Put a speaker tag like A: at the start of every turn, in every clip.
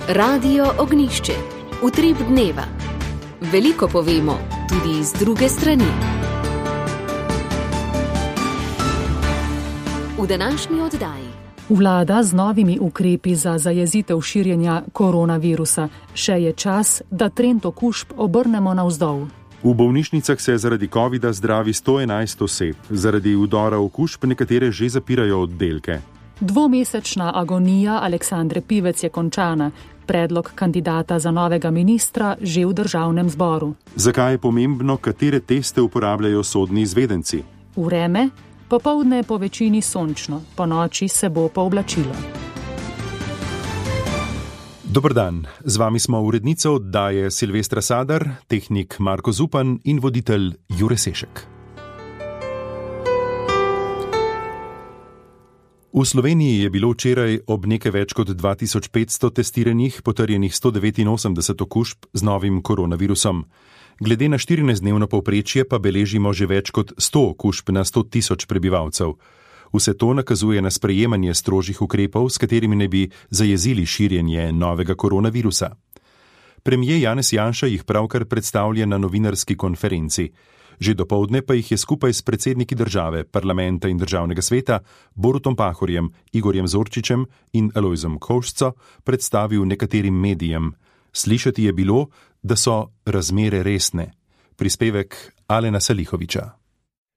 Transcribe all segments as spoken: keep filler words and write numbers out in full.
A: Radio Ognišče, utrip dneva. Veliko povemo, tudi iz druge strani. V današnji oddaji.
B: Vlada z novimi ukrepi za zajezitev širjenja koronavirusa. Še je čas, da trend okužb obrnemo navzdol.
C: V bolnišnicah se zaradi covida zdravi sto enajst oseb, zaradi vdora okužb nekatere že zapirajo oddelke.
B: Dvomesečna agonija Aleksandre Pivec je končana. Predlog kandidata za novega ministra že v državnem zboru.
C: Zakaj je pomembno, katere teste uporabljajo sodni izvedenci?
B: Vreme, popoldne po večini sončno, po noči se bo pooblačilo.
C: Dober dan, z vami smo urednica oddaje Silvestra Sadar, tehnik Marko Zupan in voditelj Jure Sešek. V Sloveniji je bilo včeraj ob nekaj več kot dva tisoč petsto testiranih potrjenih sto devetinosemdeset okužb z novim koronavirusom. Glede na štirinajstdnevno povprečje pa beležimo že več kot sto okužb na sto tisoč prebivalcev. Vse to nakazuje na sprejemanje strožjih ukrepov, s katerimi ne bi zajezili širjenje novega koronavirusa. Premier Janez Janša jih pravkar predstavlja na novinarski konferenci. Že dopoldne pa jih je skupaj s predsedniki države, parlamenta in državnega sveta Borutom Pahorjem, Igorjem Zorčičem in Alojzom Kovšco predstavil nekaterim medijem. Slišati je bilo, da so razmere resne. Prispevek Alena Salihoviča.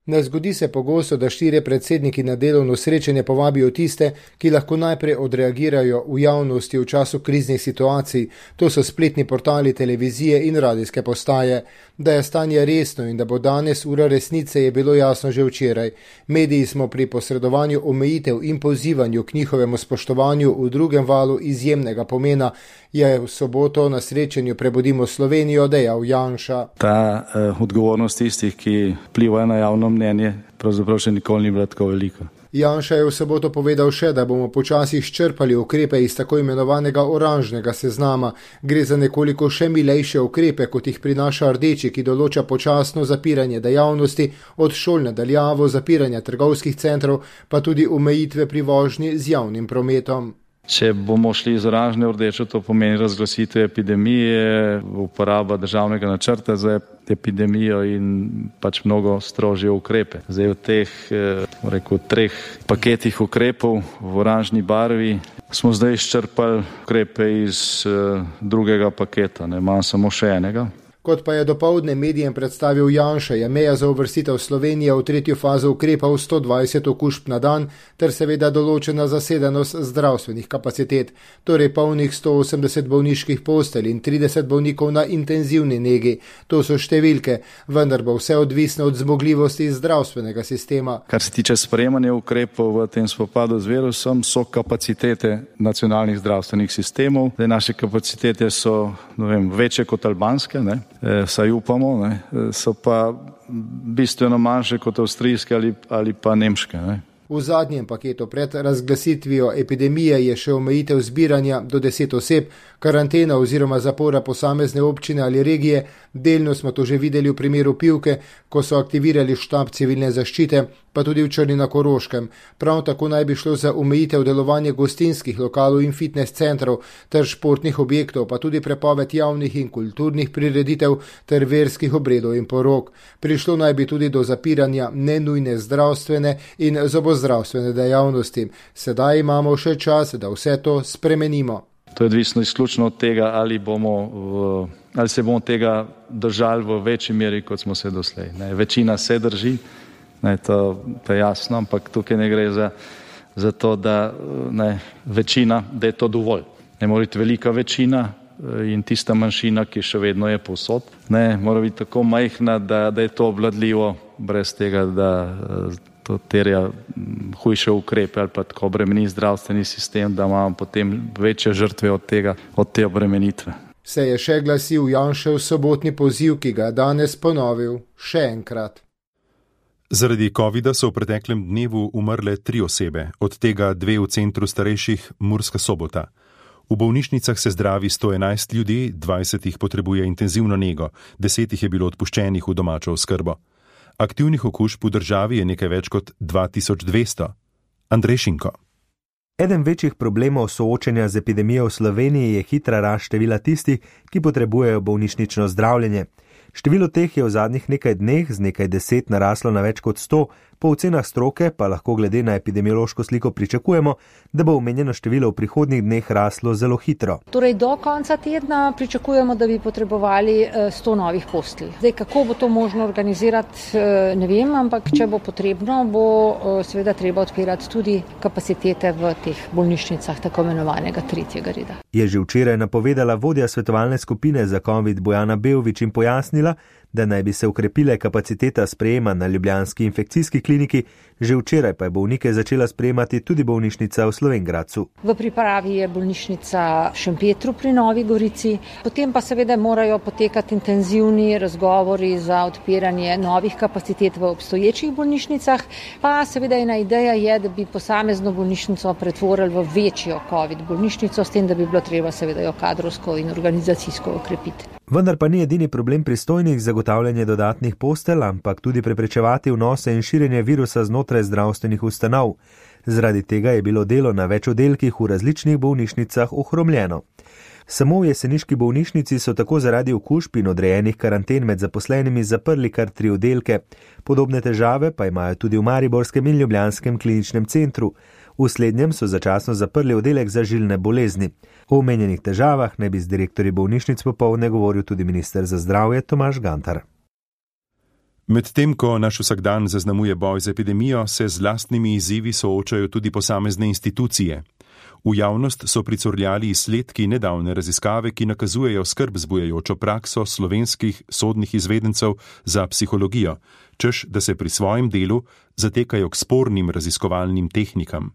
D: Ne zgodi se pogosto, da štirje predsedniki na delovno srečanje povabijo tiste, ki lahko najprej odreagirajo v javnosti v času kriznih situacij. To so spletni portali, televizije in radijske postaje. Da je stanje resno in da bo danes ura resnice, je bilo jasno že včeraj. Mediji smo pri posredovanju omejitev in pozivanju k njihovemu spoštovanju v drugem valu izjemnega pomena, je v soboto na srečanju Prebudimo Slovenijo dejal Janša.
E: Ta eh, odgovornost tistih, ki vplivajo na javno mnenje, pravzaprav še nikoli ni bila tako velika.
D: Janša je v soboto povedal še, da bomo počasi izčrpali ukrepe iz tako imenovanega oranžnega seznama. Gre za nekoliko še milejše ukrepe, kot jih prinaša rdeči, ki določa počasno zapiranje dejavnosti, od šol nadaljavo, zapiranja trgovskih centrov, pa tudi omejitve pri vožnji z javnim prometom.
E: Če bomo šli iz oranžne v rdečo, to pomeni razglasitev epidemije, uporaba državnega načrta za epidemijo in pač mnogo strožje ukrepe. Zdaj v teh rekel, treh paketih ukrepov v oranžni barvi smo zdaj izčrpali ukrepe iz drugega paketa, ne manj samo še enega.
D: Kot pa je dopoldne medijem predstavil Janša, je meja za uvrstitev Slovenije v tretjo fazo ukrepov sto dvajset okužb na dan ter seveda določena zasedenost zdravstvenih kapacitet, torej polnih sto osemdeset bolniških postelj in trideset bolnikov na intenzivni negi. To so številke, vendar bo vse odvisno od zmogljivosti zdravstvenega sistema.
E: Kar se tiče sprejemanja ukrepov v tem spopadu z virusom, so kapacitete nacionalnih zdravstvenih sistemov. Zdaj, naše kapacitete so ne vem, večje kot albanske, ne? E, saj upamo, ne, so pa bistveno manjše kot avstrijske ali, ali pa nemške. Ne.
D: V zadnjem paketu pred razglasitvijo epidemije je še omejitev zbiranja do deset oseb, karantena oziroma zapora posamezne občine ali regije. Delno smo to že videli v primeru Pivke, ko so aktivirali štab civilne zaščite, pa tudi v Črni na Koroškem. Prav tako naj bi šlo za omejitev delovanja gostinskih lokalov in fitness centrov ter športnih objektov, pa tudi prepoved javnih in kulturnih prireditev ter verskih obredov in porok. Prišlo naj bi tudi do zapiranja nenujne zdravstvene in zobozdravstvene dejavnosti. Sedaj imamo še čas, da vse to spremenimo.
E: To je odvisno izključno od tega, ali, bomo v, ali se bomo tega držali v večji meri, kot smo se doslej. Ne, večina se drži, ne, to, to je jasno, ampak tukaj ne gre za, za to, da ne, večina, da je to dovolj. Ne mora biti velika večina in tista manjšina, ki še vedno je povsod. Ne, mora biti tako majhna, da, da je to obvladljivo, brez tega, da to terja hujše ukrepe ali pa tako obremeni zdravstveni sistem, da imamo potem večje žrtve od tega, od te obremenitve.
D: Se je še glasil Janšev sobotni poziv, ki ga je danes ponovil še enkrat.
C: Zaradi covida so v preteklem dnevu umrle tri osebe, od tega dve v centru starejših Murska Sobota. V bolnišnicah se zdravi sto enajst ljudi, dvajset jih potrebuje intenzivno nego, deset jih je bilo odpuščenih v domačo oskrbo. Aktivnih okužb v državi je nekaj več kot dva tisoč dvesto. Andrej Šinko.
F: Eden večjih problemov soočenja z epidemijo v Sloveniji je hitra rast števila tistih, ki potrebujejo bolnišnično zdravljenje. Število teh je v zadnjih nekaj dneh z nekaj deset naraslo na več kot sto, po ocenah stroke pa lahko glede na epidemiološko sliko pričakujemo, da bo omenjeno število v prihodnjih dneh raslo zelo hitro.
G: Torej do konca tedna pričakujemo, da bi potrebovali sto novih postelj. Zdaj, kako bo to možno organizirati, ne vem, ampak če bo potrebno, bo seveda treba odpirati tudi kapacitete v teh bolnišnicah tako imenovanega tretjega reda.
F: Je že včeraj napovedala vodja svetovalne skupine za covid Bojana Beović in pojasnila, da naj bi se ukrepile kapaciteta sprejema na ljubljanski infekcijski kliniki, že včeraj pa je bolnike začela sprejemati tudi bolnišnica v Slovenj Gradcu.
G: V pripravi je bolnišnica v Šempetru pri Novi Gorici, potem pa seveda morajo potekati intenzivni razgovori za odpiranje novih kapacitet v obstoječih bolnišnicah, pa seveda ena ideja je, da bi posamezno bolnišnico pretvorili v večjo covid bolnišnico, s tem, da bi bilo treba seveda jo kadrovsko in organizacijsko okrepiti.
F: Vendar pa ni edini problem pristojnih zagotavljanje dodatnih postelj, ampak tudi preprečevati vnose in širjenje virusa znotraj zdravstvenih ustanov. Zaradi tega je bilo delo na več oddelkih v različnih bolnišnicah ohromljeno. Samo v jeseniški bolnišnici so tako zaradi okužb in odrejenih karanten med zaposlenimi zaprli kar tri oddelke. Podobne težave pa imajo tudi v mariborskem in ljubljanskem kliničnem centru. V slednjem so začasno zaprli oddelek za žilne bolezni. O omenjenih težavah naj bi z direktorji bolnišnic popoldne govoril tudi minister za zdravje Tomaž Gantar.
C: Medtem ko naš vsakdan zaznamuje boj z epidemijo, se z lastnimi izzivi soočajo tudi posamezne institucije. V javnost so pricurljali izsledki nedavne raziskave, ki nakazujejo skrb zbujajočo prakso slovenskih sodnih izvedencev za psihologijo, češ da se pri svojem delu zatekajo k spornim raziskovalnim tehnikam.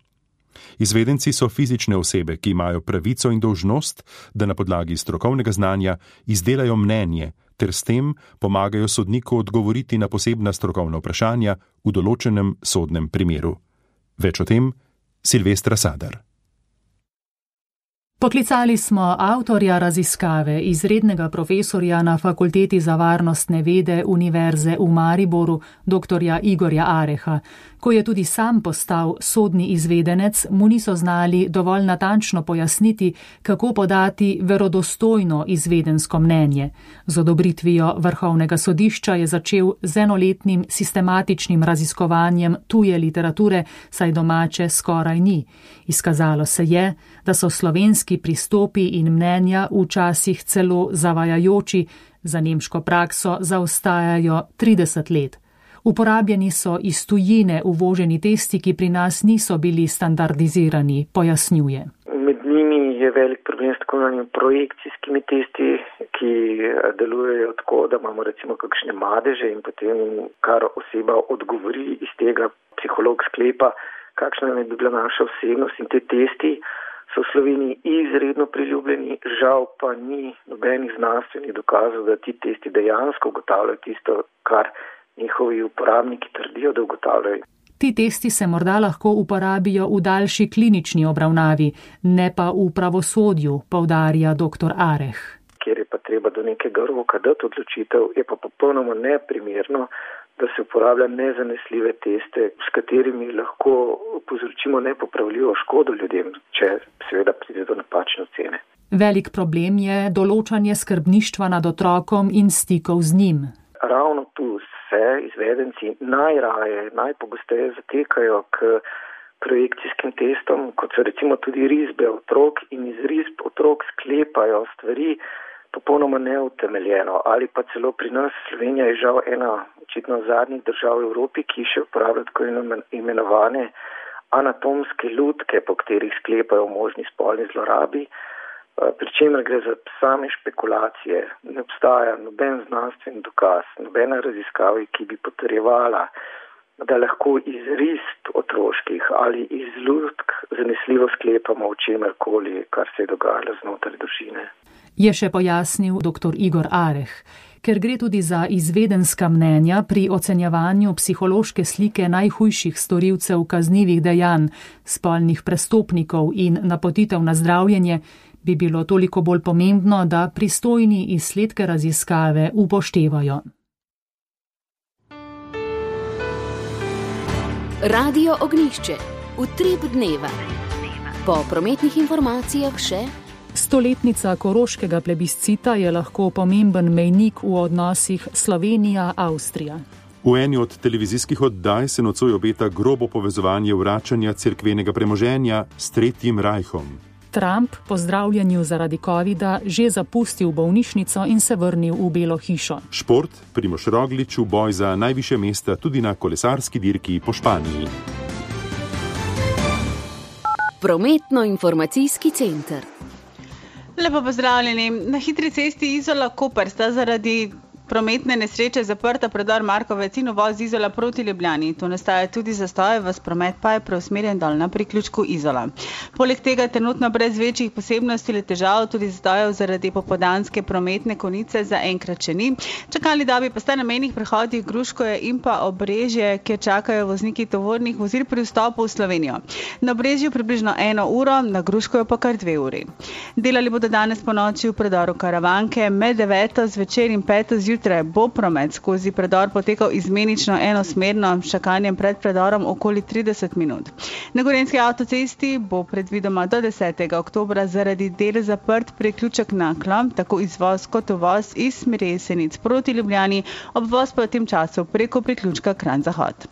C: Izvedenci so fizične osebe, ki imajo pravico in dolžnost, da na podlagi strokovnega znanja izdelajo mnenje, ter s tem pomagajo sodniku odgovoriti na posebna strokovna vprašanja v določenem sodnem primeru. Več o tem Silvestra Sadar.
B: Poklicali smo avtorja raziskave, izrednega profesorja na Fakulteti za varnostne vede Univerze v Mariboru, doktorja Igorja Areha. Ko je tudi sam postal sodni izvedenec, mu niso znali dovolj natančno pojasniti, kako podati verodostojno izvedensko mnenje. Z odobritvijo Vrhovnega sodišča je začel z enoletnim sistematičnim raziskovanjem tuje literature, saj domače skoraj ni. Izkazalo se je, da so slovenski pristopi in mnenja včasih celo zavajajoči, za nemško prakso zaostajajo trideset let. Uporabljeni so iz tujine uvoženi testi, ki pri nas niso bili standardizirani, pojasnjuje.
H: Med njimi je velik problem s tako imenovanimi projekcijskimi testi, ki delujejo tako, da imamo recimo kakšne madeže in potem kar oseba odgovori iz tega, psiholog sklepa, kakšna naj bi bila naša osebnost, in te testi so v Sloveniji izredno priljubljeni, žal pa ni nobenih znanstvenih dokazov, da ti testi dejansko ugotavljajo tisto, kar njihovi uporabniki trdijo, da ugotavljajo.
B: Ti testi se morda lahko uporabijo v daljši klinični obravnavi, ne pa v pravosodju, poudarja doktor Areh.
H: Kjer je pa treba do nekega roka dati odločitev, je pa popolnoma neprimerno, da se uporablja nezanesljive teste, s katerimi lahko povzročimo nepopravljivo škodo ljudem, če seveda pride do napačne ocene.
B: Velik problem je določanje skrbništva nad otrokom in stikov z njim.
H: Ravno tu se izvedenci najraje, najpogosteje zatekajo k projekcijskim testom, kot so recimo tudi risbe otrok, in iz risb otrok sklepajo stvari popolnoma neutemeljeno. Ali pa celo pri nas Slovenija je žal ena očitno zadnjih držav v Evropi, ki še uporablja tako imenovane anatomske lutke, po katerih sklepajo možni spolni zlorabi, pri čemer gre za same špekulacije. Ne obstaja noben znanstveni dokaz, nobena raziskava, ki bi potrjevala, da lahko iz risb otroških ali iz lutk zanesljivo sklepamo o čemerkoli, kar se je dogajalo znotraj družine.
B: Je še pojasnil doktor Igor Areh. Ker gre tudi za izvedenska mnenja pri ocenjevanju psihološke slike najhujših storilcev kaznivih dejanj, spolnih prestopnikov in napotitev na zdravljenje, bi bilo toliko bolj pomembno, da pristojni izsledke raziskave upoštevajo.
A: Radio Ognjišče. Utrip dneva. Po prometnih informacijah še:
B: stoletnica koroškega plebiscita je lahko pomemben mejnik v odnosih Slovenija-Avstrija.
C: V eni od televizijskih oddaj se nocoj obeta grobo povezovanje vračanja cerkvenega premoženja s Tretjim rajhom.
B: Trump po zdravljenju zaradi covida že zapustil bolnišnico in se vrnil v Belo hišo.
C: Šport, Primož Roglič v boj za najvišje mesta tudi na kolesarski dirki po Španiji.
A: Prometno-informacijski center.
I: Lepo pozdravljeni. Na hitri cesti Izola-Koper sta zaradi prometne nesreče zaprta predor Markovec in uvoz Izola proti Ljubljani. Tu nastaja tudi zastoje, vas promet pa je preusmerjen dol na priključku Izola. Poleg tega trenutno brez večjih posebnosti ali težav tudi zastojev zaradi popoldanske prometne konice za enkrat še ni. Čakalni dobi pa sta na mejnih prehodih Gruškoje in pa Obrežje, kjer čakajo vozniki tovornih vozil pri vstopu v Slovenijo. Na Obrežju približno eno uro, na Gruškojo pa kar dve uri. Delali bodo danes po noči v predoru Karavanke, med deveto zvečer in peto zjutraj bo promet skozi predor potekal izmenično enosmerno, s čakanjem pred predorom okoli trideset minut. Na Gorenjski avtocesti bo predvidoma do desetega oktobra zaradi del zaprt priključek Naklo, tako izvoz kot uvoz iz smeri Jesenic proti Ljubljani, obvoz pa v tem času preko priključka Kranj-Zahod.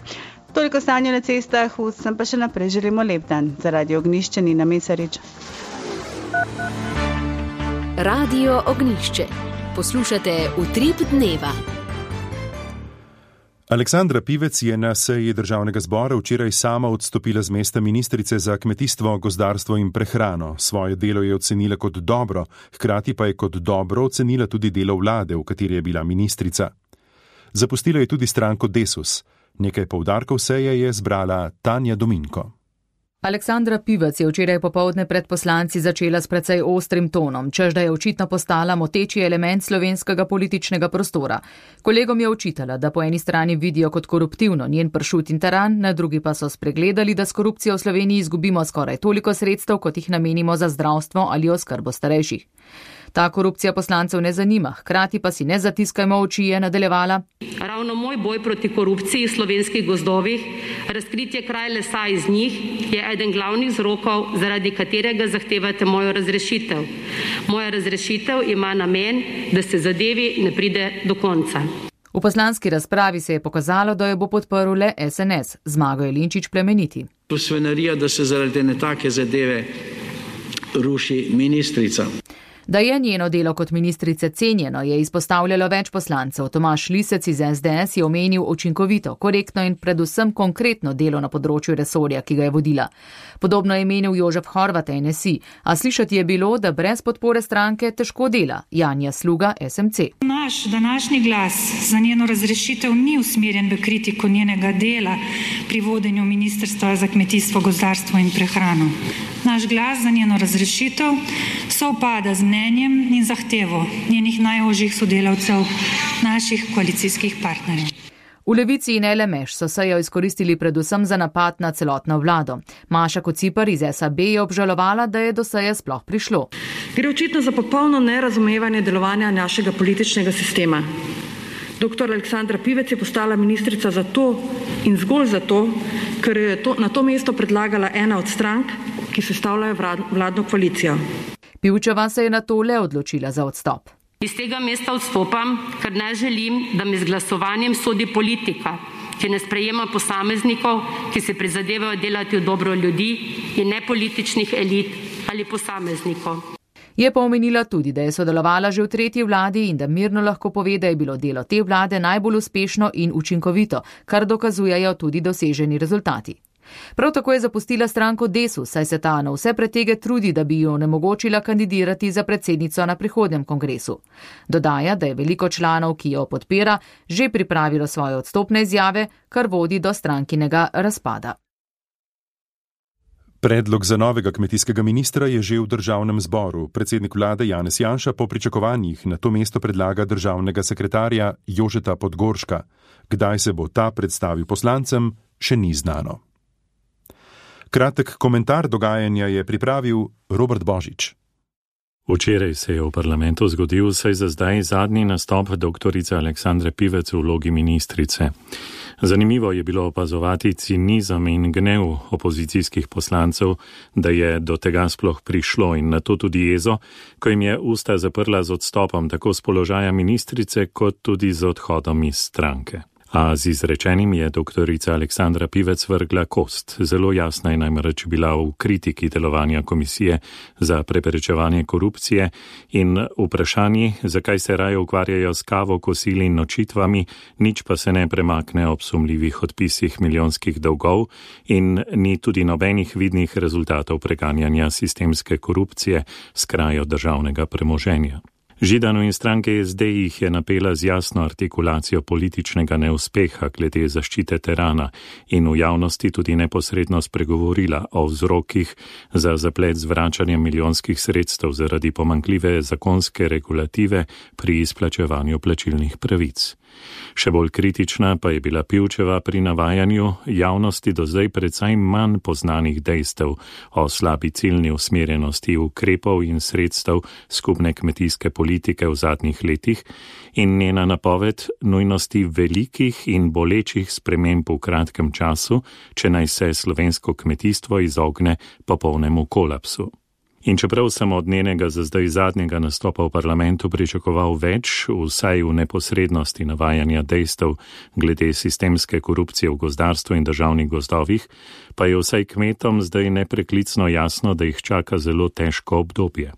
I: Toliko stanja na cestah, vsem pa še naprej želimo lep dan. Zaradi Ognjišča Nina Mesarič.
A: Radio Ognjišče. Poslušate Utrip dneva.
C: Aleksandra Pivec je na seji državnega zbora včeraj sama odstopila z mesta ministrice za kmetijstvo, gozdarstvo in prehrano. Svoje delo je ocenila kot dobro, hkrati pa je kot dobro ocenila tudi delo vlade, v kateri je bila ministrica. Zapustila je tudi stranko Desus. Nekaj poudarkov seje je zbrala Tanja Dominko.
J: Aleksandra Pivec je včeraj popoldne pred poslanci začela s precej ostrim tonom, čež da je očitno postala moteči element slovenskega političnega prostora. Kolegom je očitala, da po eni strani vidijo kot koruptivno njen pršut in teran, na drugi pa so spregledali, da s korupcijo v Sloveniji izgubimo skoraj toliko sredstev, kot jih namenimo za zdravstvo ali oskrbo starejših. Ta korupcija poslancev ne zanima, hkrati pa si ne zatiskajmo oči, je nadaljevala.
K: Ravno moj boj proti korupciji v slovenskih gozdovih, razkritje kraj lesa iz njih, je eden glavnih vzrokov, zaradi katerega zahtevate mojo razrešitev. Moja razrešitev ima namen, da se zadevi ne pride do konca.
J: V poslanski razpravi se je pokazalo, da jo bo podprl le es en es, Zmago Jelinčič Plemeniti.
L: To svinarija, da se zaradi ne take zadeve ruši ministrica.
J: Da je njeno delo kot ministrice cenjeno, je izpostavljalo več poslancev. Tomaž Lisec iz es de es je omenil učinkovito, korektno in predvsem konkretno delo na področju resorja, ki ga je vodila. Podobno je menil Jožef Horvat en es i, a slišati je bilo, da brez podpore stranke težko dela. Janja Sluga, es em ce.
M: Naš današnji glas za njeno razrešitev ni usmerjen v kritiko njenega dela pri vodenju Ministrstva za kmetijstvo, gozdarstvo in prehrano. Naš glas za njeno razrešitev sovpada z mnenjem in zahtevo njenih najožjih sodelavcev, naših koalicijskih partnerjev.
J: V Levici in el em eš so sejo izkoristili predvsem za napad na celotno vlado. Maša Kociper iz es a be je obžalovala, da je do seje sploh prišlo.
N: Gre očitno za popolno nerazumevanje delovanja našega političnega sistema. Doktor Aleksandra Pivec je postala ministrica zato in zgolj zato, ker je to, na to mesto predlagala ena od strank, ki sestavljajo vladno koalicijo.
J: Pivčeva se je na to le odločila za odstop.
K: Iz tega mesta odstopam, ker ne želim, da mi z glasovanjem sodi politika, ki ne sprejema posameznikov, ki se prizadevajo delati v dobro ljudi in ne političnih elit ali posameznikov.
J: Je pa omenila tudi, da je sodelovala že v tretji vladi in da mirno lahko pove, da je bilo delo te vlade najbolj uspešno in učinkovito, kar dokazujejo tudi doseženi rezultati. Prav tako je zapustila stranko Desus, saj se ta na vse pretege trudi, da bi jo onemogočila kandidirati za predsednico na prihodnjem kongresu. Dodaja, da je veliko članov, ki jo podpira, že pripravilo svoje odstopne izjave, kar vodi do strankinega razpada.
C: Predlog za novega kmetijskega ministra je že v državnem zboru. Predsednik vlade Janez Janša po pričakovanjih na to mesto predlaga državnega sekretarja Jožeta Podgorška. Kdaj se bo ta predstavil poslancem, še ni znano. Kratek komentar dogajanja je pripravil Robert Božič.
O: Včeraj se je v parlamentu zgodil vsaj za zdaj zadnji nastop doktorice Aleksandre Pivec v vlogi ministrice. Zanimivo je bilo opazovati cinizem in gnev opozicijskih poslancev, da je do tega sploh prišlo, in na to tudi jezo, ko jim je usta zaprla z odstopom tako z položaja ministrice kot tudi z odhodom iz stranke. A z izrečenim je doktorica Aleksandra Pivec vrgla kost. Zelo jasna je namreč bila v kritiki delovanja komisije za preprečevanje korupcije in vprašanji, zakaj se raje ukvarjajo s kavo, kosili in nočitvami, nič pa se ne premakne ob sumljivih odpisih milijonskih dolgov in ni tudi nobenih vidnih rezultatov preganjanja sistemske korupcije s krajo državnega premoženja. Židanu in stranke S D jih je napela z jasno artikulacijo političnega neuspeha glede zaščite terana in v javnosti tudi neposredno spregovorila o vzrokih za zaplet z vračanjem milijonskih sredstev zaradi pomanjkljive zakonske regulative pri izplačevanju plačilnih pravic. Še bolj kritična pa je bila Pivčeva pri navajanju javnosti do zdaj precej manj poznanih dejstev o slabi ciljni usmerjenosti ukrepov in sredstev skupne kmetijske politike v zadnjih letih in njena napoved nujnosti velikih in bolečih sprememb v kratkem času, če naj se slovensko kmetijstvo izogne popolnemu kolapsu. In čeprav sem od njenega za zdaj zadnjega nastopa v parlamentu pričakoval več, vsaj v neposrednosti navajanja dejstev glede sistemske korupcije v gozdarstvu in državnih gozdovih, pa je vsaj kmetom zdaj nepreklicno jasno, da jih čaka zelo težko obdobje.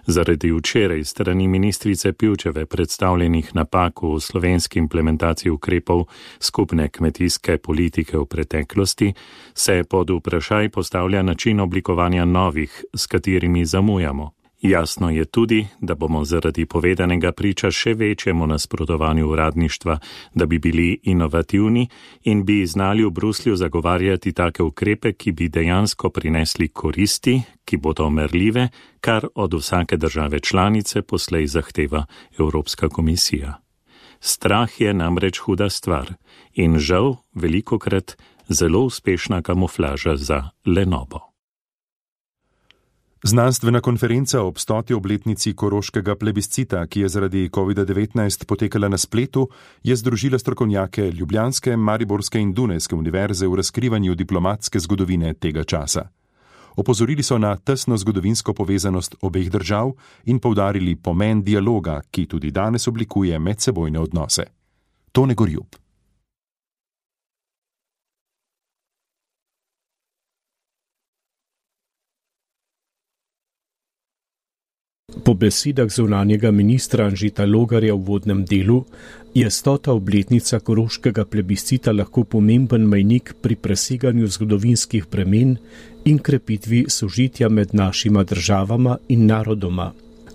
O: Zaradi včeraj strani ministrice Pivčeve predstavljenih napak v slovenski implementaciji ukrepov skupne kmetijske politike v preteklosti se pod vprašaj postavlja način oblikovanja novih, s katerimi zamujamo. Jasno je tudi, da bomo zaradi povedanega priča še večjemu nasprotovanju uradništva, da bi bili inovativni in bi znali v Bruslju zagovarjati take ukrepe, ki bi dejansko prinesli koristi, ki bodo merljive, kar od vsake države članice poslej zahteva Evropska komisija. Strah je namreč huda stvar in žal velikokrat zelo uspešna kamuflaža za lenobo.
C: Znanstvena konferenca ob stoti obletnici koroškega plebiscita, ki je zaradi kovida devetnajst potekala na spletu, je združila strokovnjake ljubljanske, mariborske in dunajske univerze v razkrivanju diplomatske zgodovine tega časa. Opozorili so na tesno zgodovinsko povezanost obeh držav in poudarili pomen dialoga, ki tudi danes oblikuje medsebojne odnose. Tone Gorjub.
P: Po besedah zunanjega ministra Anžeta Logarja v uvodnem delu je stota obletnica koroškega plebiscita lahko pomemben mejnik pri preseganju zgodovinskih premen in krepitvi sožitja med našima državama in narodoma.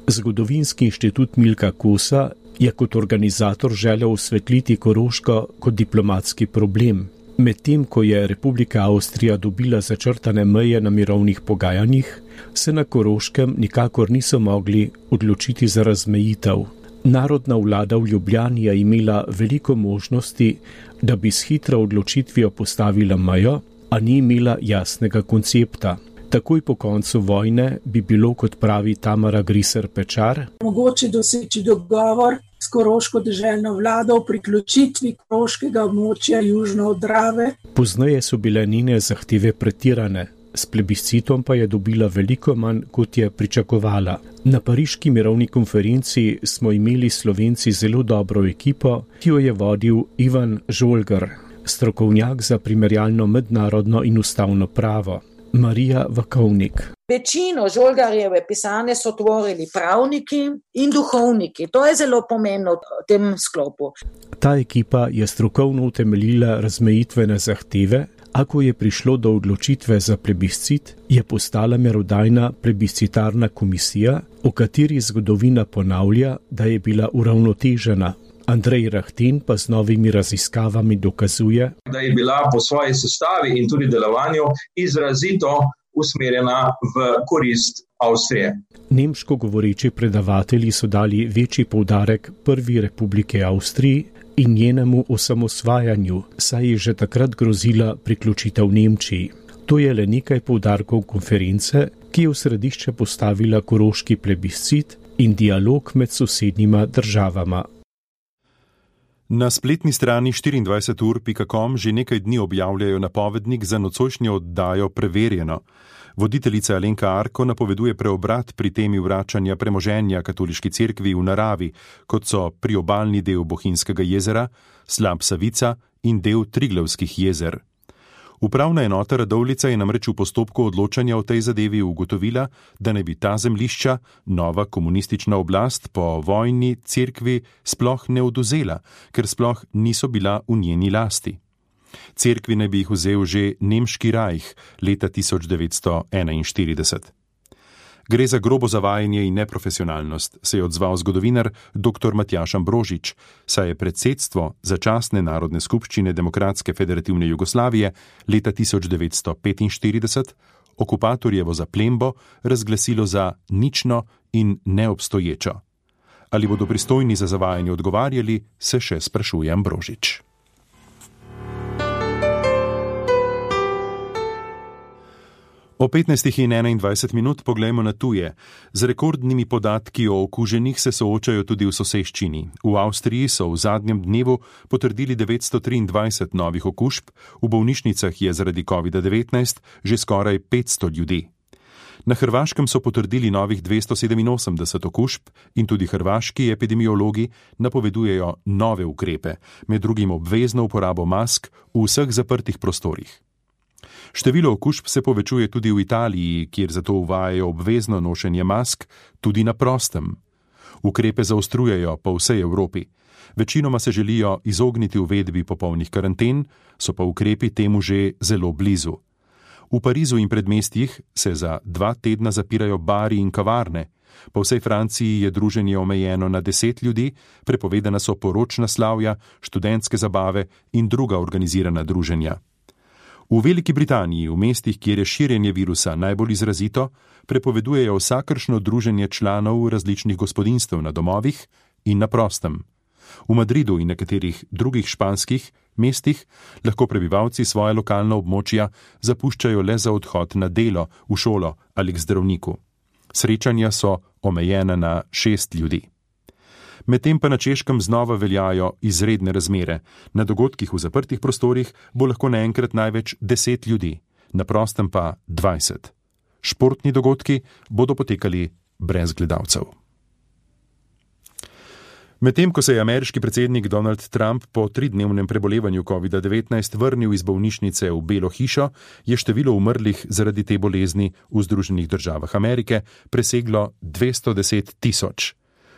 P: Zgodovinski inštitut Milka Kosa je kot organizator želel osvetliti Koroško kot diplomatski problem. Medtem ko je Republika Avstrija dobila začrtane meje na mirovnih pogajanjih, se na Koroškem nikakor niso mogli odločiti za razmejitev. Narodna vlada v Ljubljani je imela veliko možnosti, da bi s hitro odločitvijo postavila mejo, a ni imela jasnega koncepta. Takoj po koncu vojne bi bilo, kot pravi Tamara Griser Pečar,
Q: mogoče doseči dogovor s koroško deželno vlado o priključitvi koroškega območja južno od Drave.
P: Pozneje so bile njene zahteve pretirane, s plebiscitom pa je dobila veliko manj, kot je pričakovala. Na pariški mirovni konferenci smo imeli Slovenci zelo dobro ekipo, ki jo je vodil Ivan Žolgar, strokovnjak za primerjalno mednarodno in ustavno pravo. Marija Vakovnik.
R: Večino Žolgarjeve pisane so tvorili pravniki in duhovniki. To je zelo pomembno v tem sklopu.
P: Ta ekipa je strokovno utemeljila razmejitvene zahteve, a ko je prišlo do odločitve za plebiscit, je postala merodajna plebiscitarna komisija, o kateri zgodovina ponavlja, da je bila uravnotežena. Andrej Rahten pa z novimi raziskavami dokazuje,
S: da je bila po svoji sestavi in tudi delovanju izrazito usmerjena v korist Avstrije.
P: Nemško govoreči predavatelji so dali večji poudarek prvi republike Avstriji in njenemu osamosvajanju, saj je že takrat grozila priključitev Nemčiji. To je le nekaj poudarkov konference, ki je v središče postavila koroški plebiscit in dialog med sosednjima državama.
C: Na spletni strani štiriindvajset ur pika com že nekaj dni objavljajo napovednik za nocojšnjo oddajo Preverjeno. Voditeljica Alenka Arko napoveduje preobrat pri temi vračanja premoženja katoliški cerkvi v naravi, kot so priobalni del Bohinjskega jezera, slap Savica in del Triglavskih jezer. Upravna enota Radovljica je namreč v postopku odločanja o tej zadevi ugotovila, da naj bi ta zemljišča nova komunistična oblast po vojni cerkvi sploh ne odvzela, ker sploh niso bila v njeni lasti. Cerkvi naj bi jih vzel že nemški rajh leta tisoč devetsto enainštirideset. Gre za grobo zavajanje in neprofesionalnost, se je odzval zgodovinar dr. Matjaž Ambrožič, saj je predsedstvo začasne narodne skupščine Demokratske federativne Jugoslavije leta tisoč devetsto petinštirideset okupatorjevo zaplembo razglasilo za nično in neobstoječo. Ali bodo pristojni za zavajanje odgovarjali, se še sprašuje Ambrožič. O petnajstih in enaindvajset minut poglejmo na tuje. Z rekordnimi podatki o okuženih se soočajo tudi v soseščini. V Avstriji so v zadnjem dnevu potrdili devetsto triindvajset novih okužb, v bolnišnicah je zaradi kovida devetnajst že skoraj petsto ljudi. Na Hrvaškem so potrdili novih dvesto sedeminosemdeset okužb in tudi hrvaški epidemiologi napovedujejo nove ukrepe, med drugim obvezno uporabo mask v vseh zaprtih prostorih. Število okužb se povečuje tudi v Italiji, kjer zato uvajajo obvezno nošenje mask tudi na prostem. Ukrepe zaostrujejo po vsej Evropi. Večinoma se želijo izogniti uvedbi popolnih karanten, so pa ukrepi temu že zelo blizu. V Parizu in predmestjih se za dva tedna zapirajo bari in kavarne. Po vsej Franciji je druženje omejeno na deset ljudi, prepovedana so poročna slavja, študentske zabave in druga organizirana druženja. V Veliki Britaniji, v mestih, kjer je širjenje virusa najbolj izrazito, prepovedujejo vsakršno druženje članov različnih gospodinjstev na domovih in na prostem. V Madridu in nekaterih drugih španskih mestih lahko prebivalci svoje lokalna območja zapuščajo le za odhod na delo, v šolo ali k zdravniku. Srečanja so omejena na šest ljudi. Medtem pa na Češkem znova veljajo izredne razmere. Na dogodkih v zaprtih prostorih bo lahko naenkrat največ deset ljudi, na prostem pa dvajset. Športni dogodki bodo potekali brez gledalcev. Medtem ko se je ameriški predsednik Donald Trump po tridnevnem prebolevanju kovida devetnajst vrnil iz bolnišnice v Belo hišo, je število umrlih zaradi te bolezni v Združenih državah Amerike preseglo dvesto deset tisoč.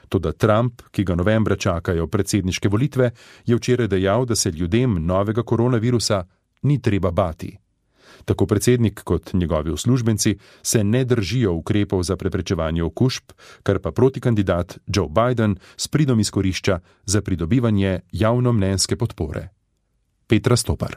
C: Toda Trump, ki ga novembra čakajo predsedniške volitve, je včeraj dejal, da se ljudem novega koronavirusa ni treba bati. Tako predsednik kot njegovi uslužbenci se ne držijo ukrepov za preprečevanje okužb, kar pa protikandidat Joe Biden s pridom izkorišča za pridobivanje javnomnenjske podpore. Petra Stopar.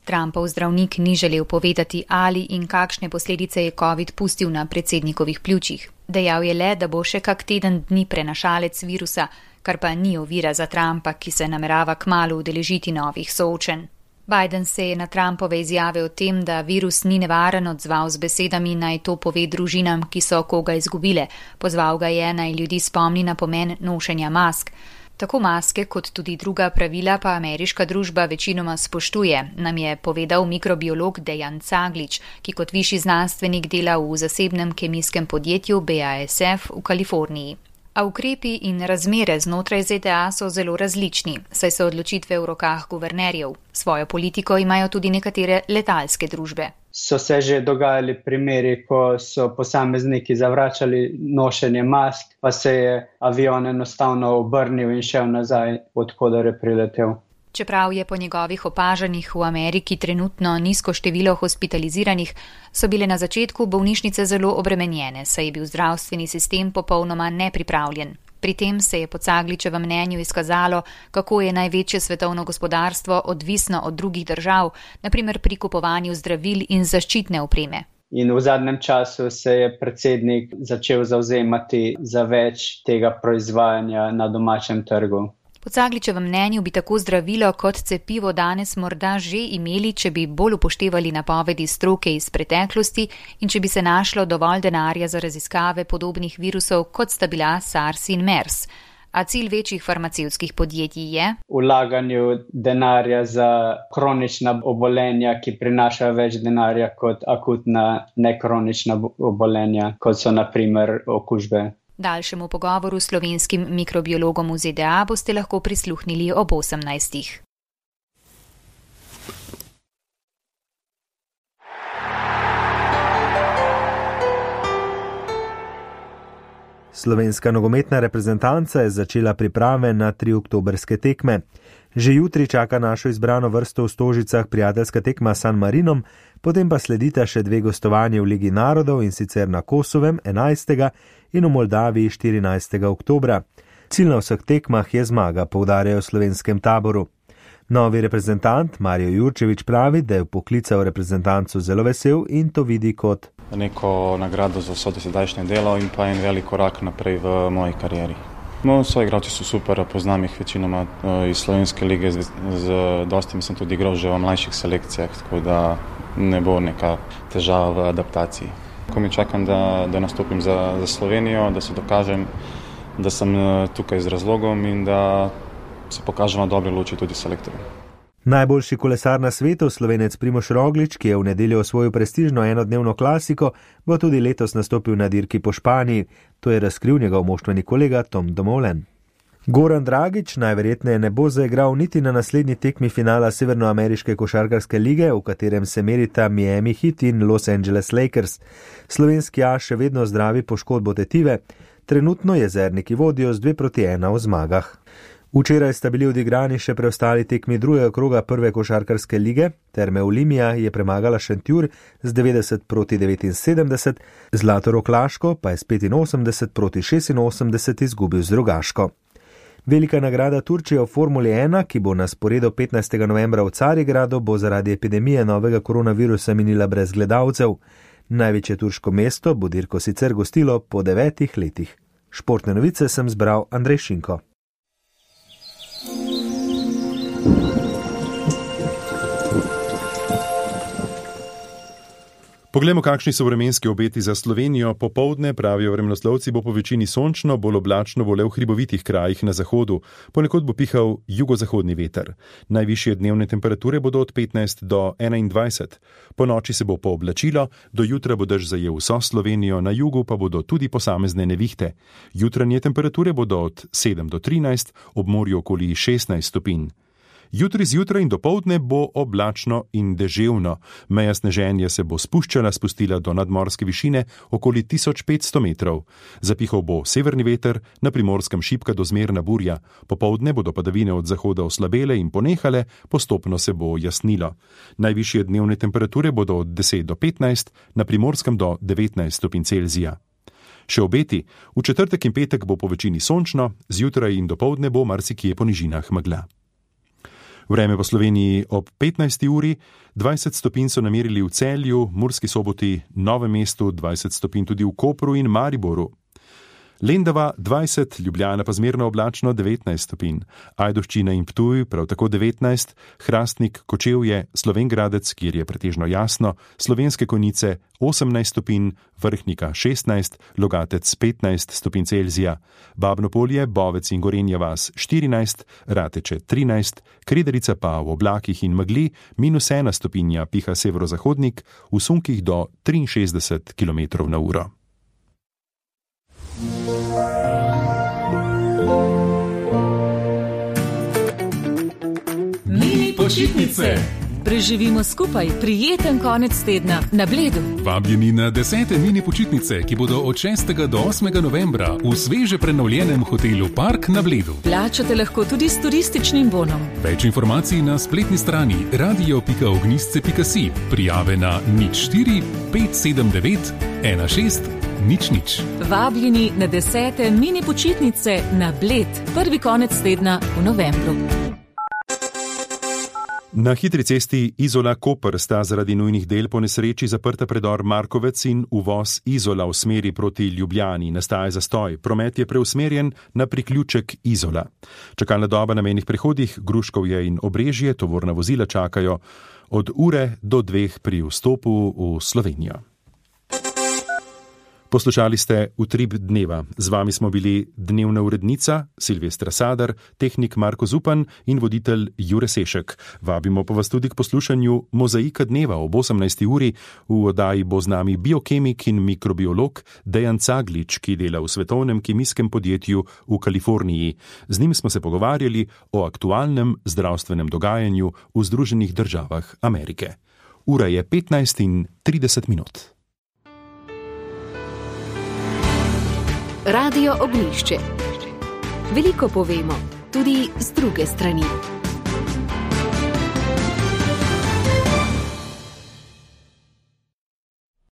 T: Trumpov zdravnik ni želel povedati, ali in kakšne posledice je COVID pustil na predsednikovih pljučih. Dejal je le, da bo še kak teden dni prenašalec virusa, kar pa ni ovira za Trumpa, ki se namerava kmalu udeležiti novih soočenj. Biden se je na Trumpove izjave o tem, da virus ni nevaren, odzval z besedami, naj to pove družinam, ki so koga izgubile. Pozval ga je, naj ljudi spomni na pomen nošenja mask. Tako maske kot tudi druga pravila pa ameriška družba večinoma spoštuje, nam je povedal mikrobiolog Dejan Caglič, ki kot višji znanstvenik dela v zasebnem kemijskem podjetju B A S F v Kaliforniji. A ukrepi in razmere znotraj Z D A so zelo različni, saj so odločitve v rokah guvernerjev. Svojo politiko imajo tudi nekatere letalske družbe.
U: So se že dogajali primeri, ko so posamezniki zavračali nošenje mask, pa se je avion enostavno obrnil in šel nazaj, odkudar je priletel.
T: Čeprav je po njegovih opažanjih v Ameriki trenutno nizko število hospitaliziranih, so bile na začetku bolnišnice zelo obremenjene, saj je bil zdravstveni sistem popolnoma nepripravljen. Pri tem se je po Cagličevem mnenju izkazalo, kako je največje svetovno gospodarstvo odvisno od drugih držav, na primer pri kupovanju zdravil in zaščitne opreme.
U: In v zadnjem času se je predsednik začel zavzemati za več tega proizvajanja na domačem trgu.
T: Po Po Cagličevem mnenju bi tako zdravilo kot cepivo danes morda že imeli, če bi bolj upoštevali napovedi stroke iz preteklosti in če bi se našlo dovolj denarja za raziskave podobnih virusov, kot sta bila SARS in MERS. A cilj večjih farmacevtskih podjetij je?
U: Vlaganju denarja za kronična obolenja, ki prinašajo več denarja kot akutna nekronična obolenja, kot so na primer okužbe.
T: Daljšemu pogovoru s slovenskim mikrobiologom v Z D A boste lahko prisluhnili ob osemnajstih.
F: Slovenska nogometna reprezentanca je začela priprave na tri oktobrske tekme. Že jutri čaka našo izbrano vrsto v Stožicah prijateljska tekma s San Marinom, potem pa sledita še dve gostovanje v Ligi narodov, in sicer na Kosovem enajstega in v Moldaviji štirinajstega oktobra. Cilj na vseh tekmah je zmaga, poudarjajo v slovenskem taboru. Novi reprezentant Mario Jurčević pravi, da je poklical reprezentancu zelo vesel in to vidi kot
E: neko nagrado za vso dosedajšnje delo in pa en velik korak naprej v moji karieri. No, svoji igralci so super, poznam jih večinoma iz slovenske lige, z, z dostimi sem tudi igral že v mlajših selekcijah, tako da ne bo neka težava v adaptaciji. Ko mi čakam, da, da nastopim za, za Slovenijo, da se dokažem, da sem tukaj z razlogom in da se pokažem na dobre luči tudi selektorjem.
F: Najboljši kolesar na svetu, Slovenec Primož Roglič, ki je v nedeljo osvojil prestižno enodnevno klasiko, bo tudi letos nastopil na dirki po Španiji. To je razkril njegov moštveni kolega Tom Dumoulin. Goran Dragić najverjetneje ne bo zaigral niti na naslednji tekmi finala Severnoameriške košarkarske lige, v katerem se merita Miami Heat in Los Angeles Lakers. Slovenski as še vedno zdravi poškodbo tetive, trenutno jezerniki vodijo z dve proti ena v zmagah. Včeraj sta bili odigrani še preostali tekmi drugega kroga prve košarkarske lige. Terme Olimia je premagala Šentjur z devetdeset proti devetinsedemdeset, Zlatorog Laško pa je s petinosemdeset proti šestinosemdeset izgubil z Rogaško. Velika nagrada Turčije v Formuli ena, ki bo na sporedu petnajstega novembra v Carigradu, bo zaradi epidemije novega koronavirusa minila brez gledalcev. Največje turško mesto bo dirko sicer gostilo po devetih letih. Športne novice sem zbral Andrej Šinko.
C: Poglejmo, kakšni so vremenski obeti za Slovenijo. Popoldne, pravijo vremenoslovci, bo po večini sončno, bolj oblačno bo le v hribovitih krajih na zahodu. Ponekod bo pihal jugozahodni veter. Najvišje dnevne temperature bodo od petnajst do enaindvajset. Po noči se bo pooblačilo, do jutra bo dež zajel vso Slovenijo, na jugu pa bodo tudi posamezne nevihte. Jutranje temperature bodo od sedem do trinajst, ob morju okoli šestnajst stopinj. Jutri zjutraj in dopoldne bo oblačno in deževno. Meja sneženja se bo spuščala, spustila do nadmorske višine okoli tisoč petsto metrov. Zapihal bo severni veter, na Primorskem šibka do zmerna burja. Popoldne bodo padavine od zahoda oslabele in ponehale, postopno se bo jasnilo. Najvišje dnevne temperature bodo od deset do petnajst, na Primorskem do devetnajst stopinj Celzija. Še obeti, v četrtek in petek bo po večini sončno, zjutraj in dopoldne bo marsikje po nižinah megla. Vreme po Sloveniji ob petnajsti uri, dvajset stopinj so namerili v Celju, Murski Soboti, Novem mestu, dvajset stopinj tudi v Kopru in Mariboru. Lendava dvajset, Ljubljana pa zmerno oblačno devetnajst stopinj, Ajdovščina in Ptuj prav tako devetnajst, Hrastnik, Kočevje, Slovenj Gradec, kjer je pretežno jasno, Slovenske Konjice osemnajst stopinj, Vrhnika šestnajst, Logatec petnajst stopinj Celzija, Babno Polje, Bovec in Gorenja vas štirinajst, Rateče trinajst, Krederica pa v oblakih in megli minus ena stopinja, piha severozahodnik, v sunkih do triinšestdeset kilometrov na uro.
V: Mini počitnice. Preživimo skupaj prijeten konec tedna na Bledu.
W: Vabljeni na desete mini počitnice, ki bodo od šestega do osmega novembra v sveže prenovljenem hotelu Park na Bledu.
V: Plačate lahko tudi s turističnim bonom.
W: Več informacij na spletni strani radio pika ognjisce pika si. Prijave na nič štiri pet sedem devet ena šest nič nič.
V: Vabljeni na desete mini počitnice na Bled. Prvi konec tedna v novembru.
C: Na hitri cesti Izola-Koper sta zaradi nujnih del po nesreči zaprta predor Markovec in uvoz Izola v smeri proti Ljubljani. Nastaja zastoj. Promet je preusmerjen na priključek Izola. Čakalna doba na mejnih prehodih Gruškovje in Obrežje, tovorna vozila čakajo od ure do dveh pri vstopu v Slovenijo. Poslušali ste Utrip dneva. Z vami smo bili dnevna urednica Silvestra Sadar, tehnik Marko Zupan in voditelj Jure Sešek. Vabimo pa vas tudi k poslušanju Mozaika dneva ob osemnajsti uri. V oddaji bo z nami biokemik in mikrobiolog Dejan Caglič, ki dela v svetovnem kemijskem podjetju v Kaliforniji. Z njim smo se pogovarjali o aktualnem zdravstvenem dogajanju v Združenih državah Amerike. Ura je petnajst in trideset minut.
A: Radio Ognjišče. Veliko povemo, tudi z druge strani.